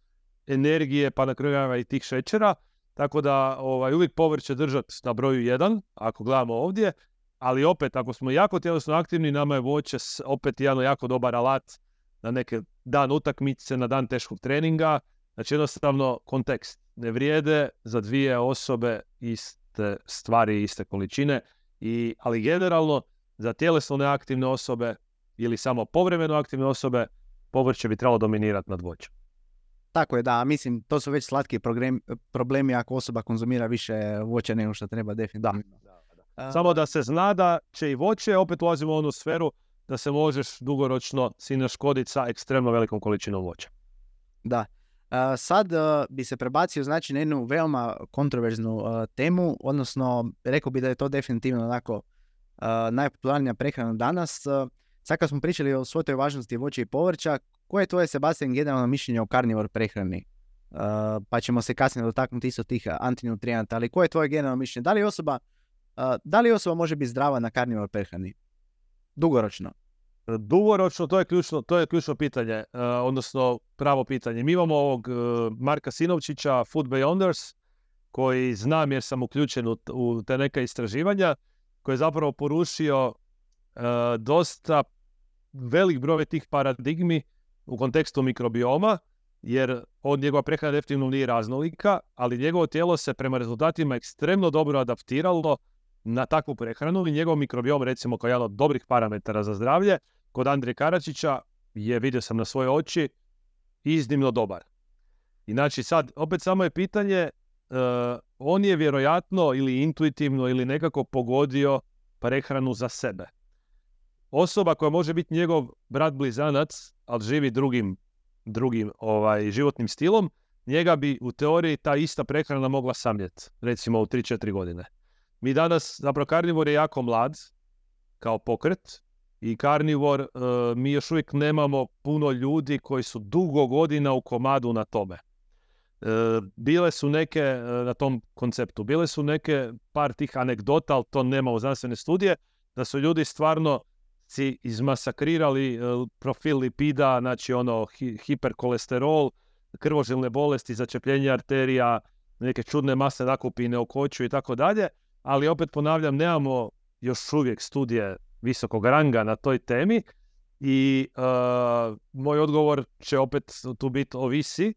energije, pa na kraju i tih šećera. Tako da ovaj, uvijek povrće držati na broju jedan, ako gledamo ovdje, ali opet, ako smo jako tjelesno aktivni, nama je voće opet jedan jako dobar alat na neke dan utakmice, na dan teškog treninga. Znači jednostavno kontekst. Ne vrijede za dvije osobe iste stvari, iste količine, i, ali generalno za tjelesno neaktivne osobe ili samo povremeno aktivne osobe, povrće bi trebalo dominirati nad voćem. Tako je, da, mislim, to su već slatki problem, problemi ako osoba konzumira više voća nego što treba, definitivno. Da, da, da. Uh, samo da se zna da će i voće, opet ulazimo u onu sferu da se možeš dugoročno si naškoditi sa ekstremno velikom količinom voća. Da. Uh, sad uh, bi se prebacio, znači, na jednu veoma kontroverznu uh, temu, odnosno rekao bi da je to definitivno onako uh, najpopularnija prehrana danas. Uh, Sad kad smo pričali o svoj toj važnosti voća i povrća, koje je tvoje, Sebastian, generalno mišljenje o karnivor prehrani? Uh, pa ćemo se kasnije dotaknuti isto tih antinutrijenata, ali koje je tvoje generalno mišljenje? Da li osoba, uh, da li osoba može biti zdrava na karnivor prehrani? Dugoročno? Dugoročno, to je ključno, to je ključno pitanje, uh, odnosno pravo pitanje. Mi imamo ovog uh, Marka Sinovčića, Food Beyonders, koji znam jer sam uključen u, u te neka istraživanja, koji je zapravo porušio uh, dosta velik broj tih paradigmi u kontekstu mikrobioma, jer on, njegova prehrana definitivno nije raznolika, ali njegovo tijelo se prema rezultatima ekstremno dobro adaptiralo na takvu prehranu i njegov mikrobiom, recimo kao jedan od dobrih parametara za zdravlje, kod Andrije Karačića je, vidio sam na svoje oči, iznimno dobar. I znači sad, opet samo je pitanje, uh, on je vjerojatno ili intuitivno ili nekako pogodio prehranu za sebe. Osoba koja može biti njegov brat blizanac, ali živi drugim, drugim ovaj, životnim stilom, njega bi u teoriji ta ista prehrana mogla samljeti, recimo u tri četiri godine. Mi danas, zapravo karnivor je jako mlad kao pokret i karnivor, uh, mi još uvijek nemamo puno ljudi koji su dugo godina u komadu na tome. Uh, bile su neke uh, na tom konceptu, bile su neke par tih anegdota, ali to nema u znanstvene studije, da su ljudi stvarno si izmasakrirali uh, profil lipida, znači ono hi- hiperkolesterol, krvožilne bolesti, začepljenje arterija, neke čudne mase nakupine u koću i tako dalje. Ali opet ponavljam, nemamo još uvijek studije visokog ranga na toj temi i uh, moj odgovor će opet tu biti ovisi.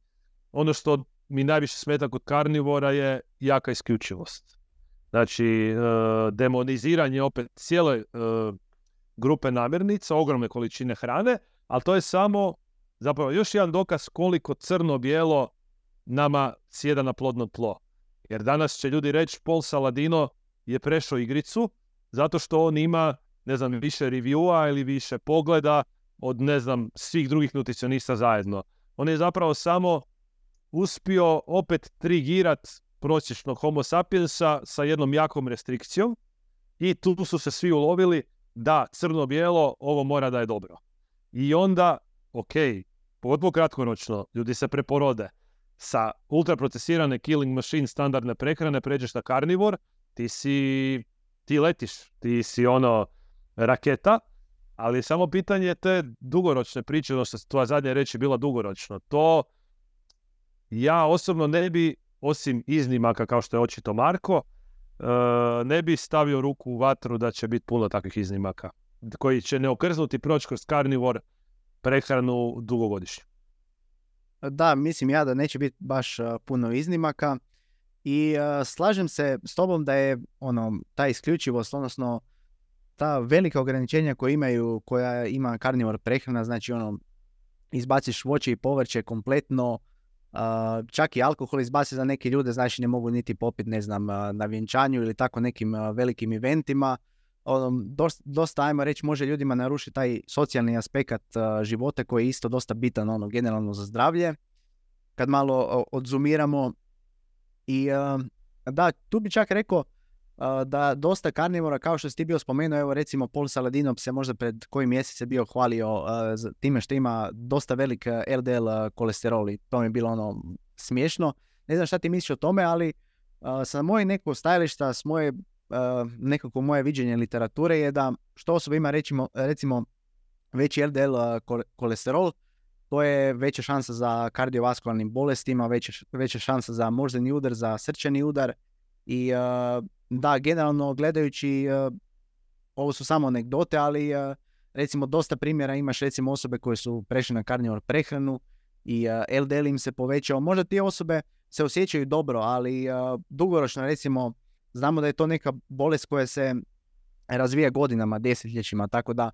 Ono što mi najviše smeta kod karnivora je jaka isključivost. Znači, uh, demoniziranje opet cijele uh, grupe namirnica, ogromne količine hrane, ali to je samo zapravo još jedan dokaz koliko crno-bijelo nama sjeda na plodno tlo. Jer danas će ljudi reći Paul Saladino je prešao igricu zato što on ima, ne znam, više reviewa ili više pogleda od, ne znam, svih drugih nutricionista zajedno. On je zapravo samo uspio opet trigirat prosječnog homo sapiensa sa jednom jakom restrikcijom i tu su se svi ulovili da crno-bijelo ovo mora da je dobro. I onda, ok, pogotovo kratkoročno, ljudi se preporode. Sa ultraprocesirane killing machine standardne prehrane pređeš na karnivor, ti si, ti letiš, ti si ono raketa, ali samo pitanje te dugoročne priče, ono što tvoja zadnja reč je bila dugoročno. To ja osobno ne bi, osim iznimaka kao što je očito Marko, ne bi stavio ruku u vatru da će biti puno takvih iznimaka koji će ne okrznuti proći kroz karnivor prehranu dugogodišnju. Da, mislim ja da neće biti baš uh, puno iznimaka i uh, slažem se s tobom da je ono, ta isključivost, odnosno ta velika ograničenja koja imaju, koja ima karnivor prehrana, znači ono, izbaciš voće i povrće kompletno, uh, čak i alkohol izbaci za neke ljude, znači ne mogu niti popiti, ne znam, uh, na vjenčanju ili tako nekim uh, velikim eventima. Ono, dosta, dosta, ajmo reći, može ljudima narušiti taj socijalni aspekt uh, života koji je isto dosta bitan ono, generalno za zdravlje. Kad malo uh, odzumiramo i uh, da, tu bi čak rekao uh, da dosta karnivora, kao što si ti bio spomenuo, evo recimo Paul Saladino se možda pred koji mjesec je bio hvalio uh, za time što ima dosta velik uh, L D L uh, kolesterol i to mi je bilo ono smiješno. Ne znam šta ti misliš o tome, ali uh, sa moje nekog stajališta, s moje Uh, nekako moje viđenje literature je da što osoba ima recimo, recimo veći L D L uh, kolesterol, to je veća šansa za kardiovaskularnim bolestima, veća, veća šansa za moždani udar, za srčani udar i uh, da, generalno gledajući uh, ovo su samo anegdote, ali uh, recimo dosta primjera imaš recimo osobe koje su prešle na karnivor prehranu i uh, L D L im se povećao. Možda te osobe se osjećaju dobro, ali uh, dugoročno recimo znamo da je to neka bolest koja se razvija godinama, desetljećima, tako da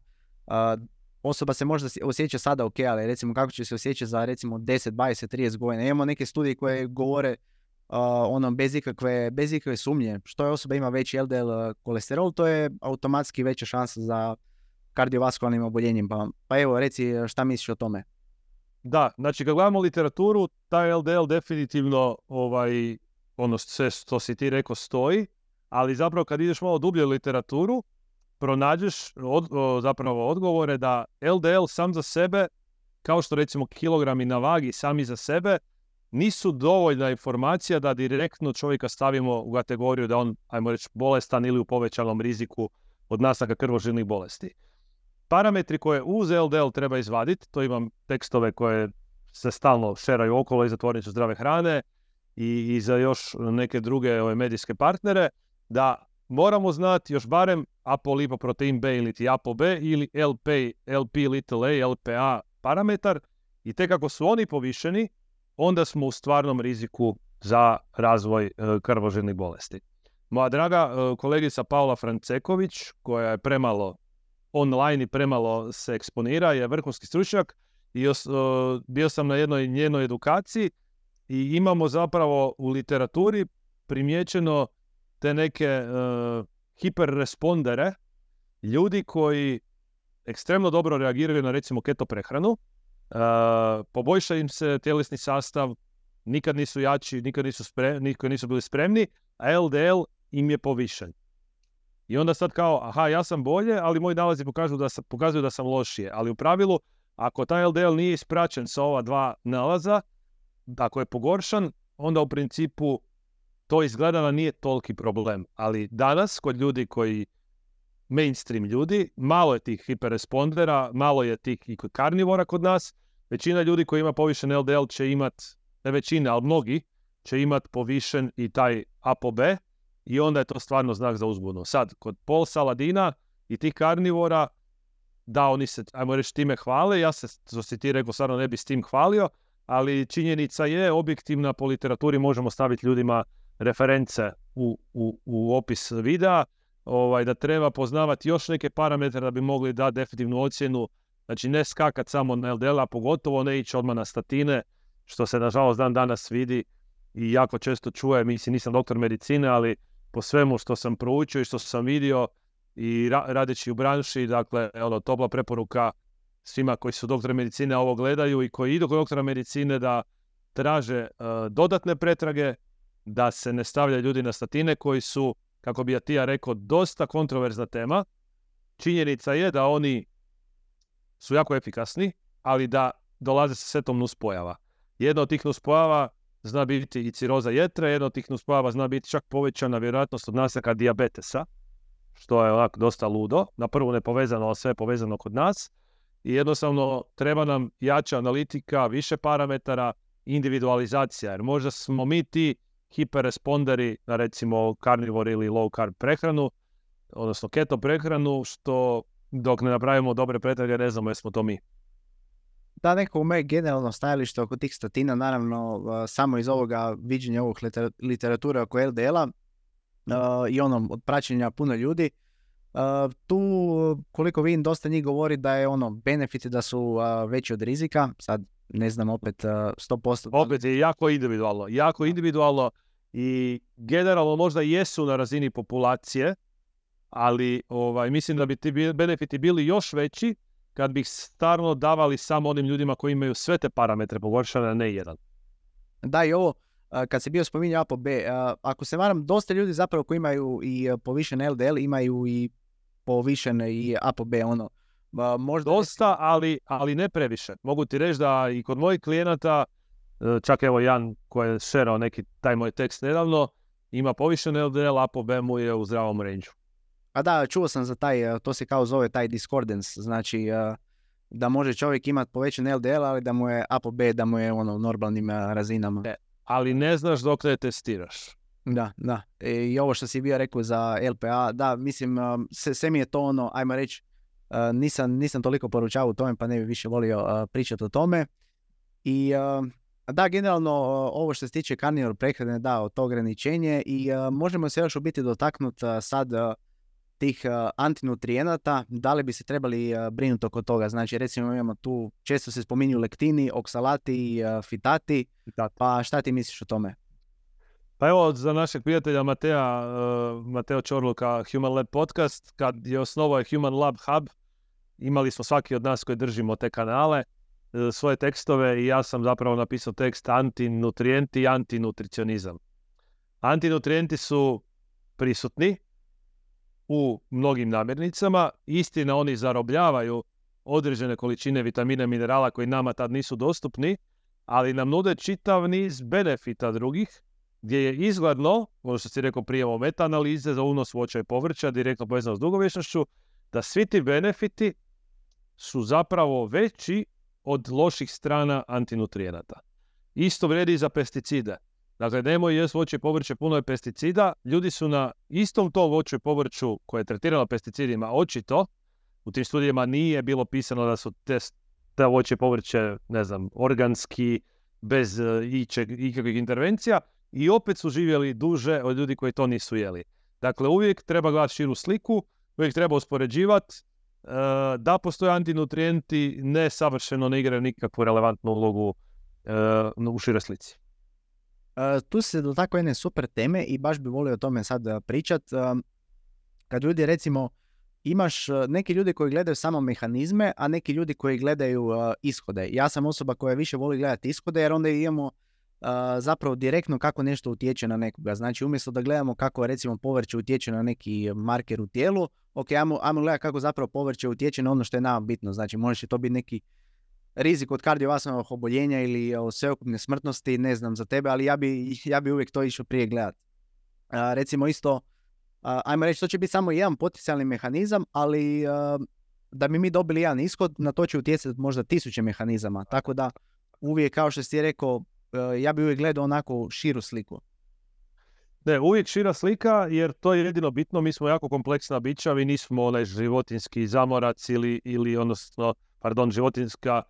uh, osoba se možda osjeća sada ok, ali recimo kako će se osjećati za recimo deset, dvadeset, trideset godina. Imamo neke studije koje govore uh, ono bez ikakve, bez ikakve sumnje. Što je osoba ima veći L D L kolesterol, to je automatski veća šansa za kardiovaskularnim oboljenjem. Pa, pa evo, reci šta misliš o tome? Da, znači kad gledamo literaturu, taj L D L definitivno ovaj, ono sve što si ti rekao stoji, ali zapravo kad ideš malo dublje u literaturu, pronađeš od, o, zapravo odgovore da L D L sam za sebe, kao što recimo kilogrami na vagi sami za sebe, nisu dovoljna informacija da direktno čovjeka stavimo u kategoriju da on, ajmo reći, bolestan ili u povećanom riziku od nastanka krvožilnih bolesti. parametri koje uz L D L treba izvaditi, to imam tekstove koje se stalno šeraju okolo i za tvornicu zdrave hrane i, i za još neke druge ove, medijske partnere, da moramo znati još barem apolipoprotein B ili ti ApoB ili L P, L P little a, L P A parametar i tek ako su oni povišeni, onda smo u stvarnom riziku za razvoj e, krvožilnih bolesti. Moja draga e, kolegica Paula Franceković, koja je premalo online i premalo se eksponira, je vrhunski stručnjak i os, e, bio sam na jednoj njenoj edukaciji i imamo zapravo u literaturi primijećeno te neke e, hiperrespondere, ljudi koji ekstremno dobro reagiraju na recimo keto prehranu, uh, poboljša im se tjelesni sastav, nikad nisu jači, nikad nisu, spre, nikad nisu bili spremni, a L D L im je povišen. I onda sad kao, aha, ja sam bolje, ali moji nalazi pokazuju da sam, pokazuju da sam lošije. Ali u pravilu, ako taj L D L nije ispraćen sa ova dva nalaza, ako je pogoršan, onda u principu to izgleda da nije toliki problem. Ali danas, kod ljudi koji mainstream ljudi, malo je tih hiperrespondera, malo je tih i kod karnivora kod nas. Većina ljudi koji ima povišen L D L će imat, ne većina, ali mnogi, će imat povišen i taj ApoB i onda je to stvarno znak za uzbunu. Sad, kod Paul Saladina i tih karnivora, da, oni se, ajmo reći, time hvale, ja se, što si ti rekao, stvarno ne bi s tim hvalio, ali činjenica je, objektivna, po literaturi možemo staviti ljudima reference u, u, u opis videa, ovaj, da treba poznavati još neke parametre da bi mogli dati definitivnu ocjenu. Znači ne skakat samo na L D L, a pogotovo ne ići odmah na statine, što se nažalost dan danas vidi i jako često čuje. Mislim, nisam doktor medicine, ali po svemu što sam proučio i što sam vidio i ra- radeći u branši, dakle, ono, topla preporuka svima koji su doktori medicine ovo gledaju i koji idu kod doktora medicine da traže uh, dodatne pretrage, da se ne stavljaju ljudi na statine koji su, kako bi ja ti ja rekao, dosta kontroverzna tema. Činjenica je da oni su jako efikasni, ali da dolaze sa setom nuspojava. Jedna od tih nuspojava zna biti i ciroza jetre, jedna od tih nuspojava zna biti čak povećana vjerojatnost od nastanka dijabetesa, što je onako dosta ludo. Na prvu nepovezano, a sve je povezano kod nas. I jednostavno treba nam jača analitika, više parametara, individualizacija, jer možda smo mi ti hiperresponderi na recimo carnivore ili low carb prehranu, odnosno keto prehranu, što dok ne napravimo dobre pretrage ne znamo jesmo to mi. Da, neko u moje generalno stajalište oko tih statina, naravno uh, samo iz ovoga viđenja ovog liter- literature oko L D L-a uh, i onom od praćenja puno ljudi, uh, tu koliko vidim dosta njih govori da je ono benefiti da su uh, veći od rizika, sad ne znam opet uh, sto posto. Opet je jako individualno, jako individualno i generalno možda jesu na razini populacije, ali ovaj, mislim da bi ti benefiti bili još veći kad bi stvarno davali samo onim ljudima koji imaju sve te parametre pogoršane, a ne jedan. Da, i ovo, kad se bio spominjao ApoB, ako se varam, dosta ljudi zapravo koji imaju i povišen L D L, imaju i povišen i ApoB, ono, možda... Dosta, ali, ali ne previše. Mogu ti reći da i kod mojih klijenata, čak evo Jan koji je šerao neki taj moj tekst nedavno, ima povišen L D L, ApoB mu je u zdravom range. A da, čuo sam za taj, to se kao zove taj discordance, znači da može čovjek imati povećan L D L, ali da mu je ApoB, da mu je ono u normalnim razinama. E, ali ne znaš dok ne testiraš. Da, da. I ovo što si bio rekao za L P A, da, mislim, sve, sve mi je to ono, ajmo reći, nisam, nisam toliko poručavao u tome, pa ne bi više volio pričati o tome. I da, generalno, ovo što se tiče karnivor prehrane, da, to ograničenje i možemo se još u biti dotaknuti sad tih uh, antinutrijenata, da li bi se trebali uh, brinuti oko toga. Znači, recimo imamo tu, često se spominju lektini, oksalati i uh, fitati, Fitat. Pa šta ti misliš o tome? Pa evo, za našeg prijatelja Matea, uh, Mateo Čorluka, Human Lab podcast, kad je osnovao Human Lab Hub, imali smo svaki od nas koji držimo te kanale, uh, svoje tekstove i ja sam zapravo napisao tekst antinutrijenti i antinutricionizam. Antinutrijenti su prisutni u mnogim namirnicama. Istina, oni zarobljavaju određene količine vitamina i minerala koji nama tad nisu dostupni, ali nam nude čitav niz benefita drugih, gdje je izgledno, ono što si rekao prije o meta-analize za unos voća i povrća, direktno povezano s dugovječnošću, da svi ti benefiti su zapravo veći od loših strana antinutrijenata. Isto vrijedi i za pesticide. Dakle, nemoj jest voće i povrće puno je pesticida. Ljudi su na istom tom voću i povrću koje je tretirano pesticidima, očito, u tim studijama nije bilo pisano da su te, te voće i povrće, ne znam, organski, bez uh, ičeg, ikakvih intervencija, i opet su živjeli duže od ljudi koji to nisu jeli. Dakle, uvijek treba gledati širu sliku, uvijek treba uspoređivati. Uh, da postoje antinutrijenti, ne savršeno ne igraju nikakvu relevantnu ulogu uh, u široj slici. Uh, tu se dotakao jedne super teme i baš bi volio o tome sad uh, pričat. Uh, kad ljudi, recimo, imaš uh, neki ljudi koji gledaju samo mehanizme, a neki ljudi koji gledaju uh, ishode. Ja sam osoba koja više voli gledati ishode, jer onda imamo uh, zapravo direktno kako nešto utječe na nekoga. Znači, umjesto da gledamo kako, recimo, povrće utječe na neki marker u tijelu, ok, ajmo, ajmo gledati kako zapravo povrće utječe na ono što je nama bitno. Znači, može to biti neki rizik od kardiovaskularnog oboljenja ili o sveukupne smrtnosti, ne znam za tebe, ali ja bi, ja bi uvijek to išao prije gledati. Uh, recimo isto, uh, ajmo reći, to će biti samo jedan potencijalni mehanizam, ali uh, da bi mi dobili jedan ishod, na to će utjecati možda tisuće mehanizama. Tako da uvijek, kao što si rekao, uh, ja bi uvijek gledao onako širu sliku. Ne, uvijek šira slika, jer to je jedino bitno. Mi smo jako kompleksna bića, mi nismo onaj životinski zamorac ili, ili odnosno, pardon, životinska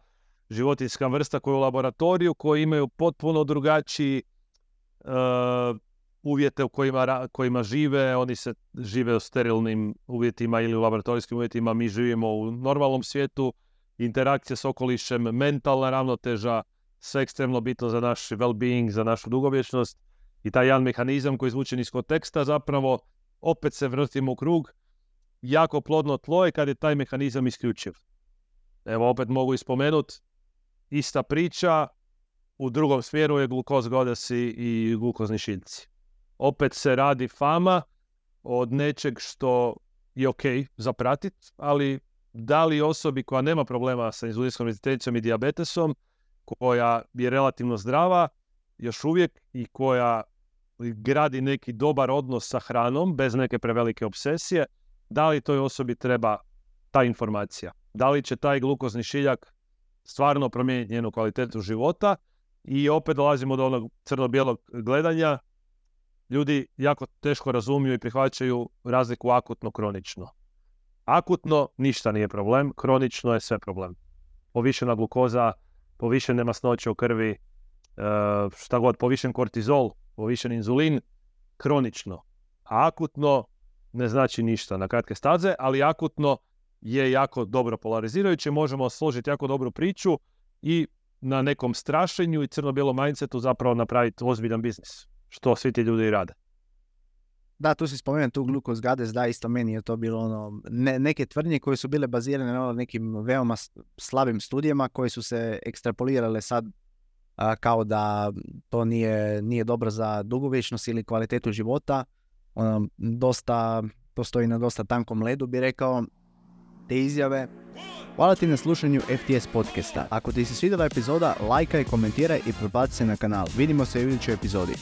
životinska vrsta koja je u laboratoriju, koji imaju potpuno drugačiji uh, uvjete u kojima, kojima žive. Oni se žive u sterilnim uvjetima ili u laboratorijskim uvjetima. Mi živimo u normalnom svijetu. Interakcija s okolišem, mentalna ravnoteža, sve ekstremno bitno za naš well-being, za našu dugovječnost. I taj jedan mehanizam koji je izvučen iz konteksta, zapravo opet se vrtimo u krug. Jako plodno tlo je kad je taj mehanizam isključiv. Evo, opet mogu ispomenuti, ista priča, u drugom smjeru je glukoz godasi i glukozni šiljci. Opet se radi fama od nečeg što je ok za pratit, ali da li osobi koja nema problema sa inzulinskom rezistencijom i dijabetesom, koja je relativno zdrava, još uvijek, i koja gradi neki dobar odnos sa hranom, bez neke prevelike obsesije, da li toj osobi treba ta informacija? Da li će taj glukozni šiljak stvarno promijeniti njenu kvalitetu života? I opet dolazimo do onog crno-bijelog gledanja. Ljudi jako teško razumiju i prihvaćaju razliku akutno-kronično. Akutno ništa nije problem, kronično je sve problem. Povišena glukoza, povišene masnoće u krvi, šta god, povišen kortizol, povišen inzulin, kronično. A akutno ne znači ništa na kratke staze, ali akutno je jako dobro polarizirajuće. Možemo složiti jako dobru priču i na nekom strašenju i crno-bijelom mindsetu zapravo napraviti ozbiljan biznis, što svi ti ljudi rade. Da, tu si spomenuo tu glukoz gades, da, isto meni je to bilo ono, ne, neke tvrdnje koje su bile bazirane na nekim veoma slabim studijama koje su se ekstrapolirale sad a, kao da to nije, nije dobro za dugovječnost ili kvalitetu života. Ono, dosta, to stoji na dosta tankom ledu, bi rekao, te izjave. Hvala ti na slušanju F T S podcasta. Ako ti se svidjela epizoda, lajkaj, komentiraj i pretplati se na kanal. Vidimo se u idućoj epizodi.